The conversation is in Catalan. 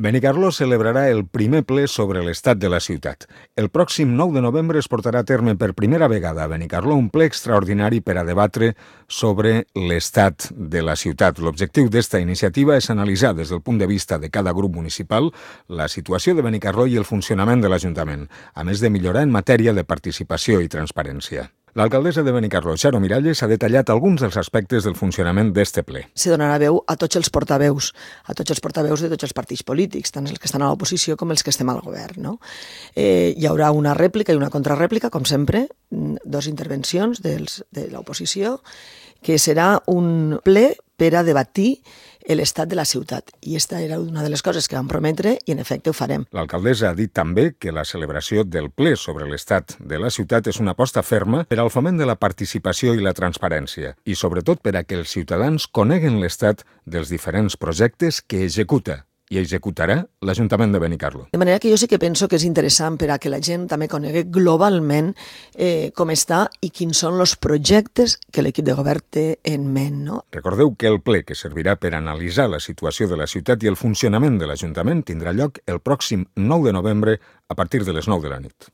Benicarló celebrarà el primer ple sobre l'estat de la ciutat. El pròxim 9 de novembre es portarà a terme per primera vegada a Benicarló un ple extraordinari per a debatre sobre l'estat de la ciutat. L'objectiu d'esta iniciativa és analitzar des del punt de vista de cada grup municipal la situació de Benicarló i el funcionament de l'Ajuntament, a més de millorar en matèria de participació i transparència. L'alcaldessa de Benicarló, Charo Miralles, ha detallat alguns dels aspectes del funcionament d'este ple. Se donarà veu a tots els portaveus de tots els partits polítics, tant els que estan a l'oposició com els que estem al govern. No? Hi haurà una rèplica i una contrarèplica, com sempre, dues intervencions de l'oposició, que serà un ple per a debatir l'estat de la ciutat. I aquesta era una de les coses que vam prometre i, en efecte, ho farem. L'alcaldessa ha dit també que la celebració del ple sobre l'estat de la ciutat és una aposta ferma per al foment de la participació i la transparència i, sobretot, per a que els ciutadans coneguen l'estat dels diferents projectes que executa i executarà l'Ajuntament de Benicarló. De manera que jo sí que penso que és interessant per a que la gent també conegui globalment com està i quins són els projectes que l'equip de govern té en ment. No? Recordeu que el ple que servirà per analitzar la situació de la ciutat i el funcionament de l'Ajuntament tindrà lloc el pròxim 9 de novembre a partir de les 9 de la nit.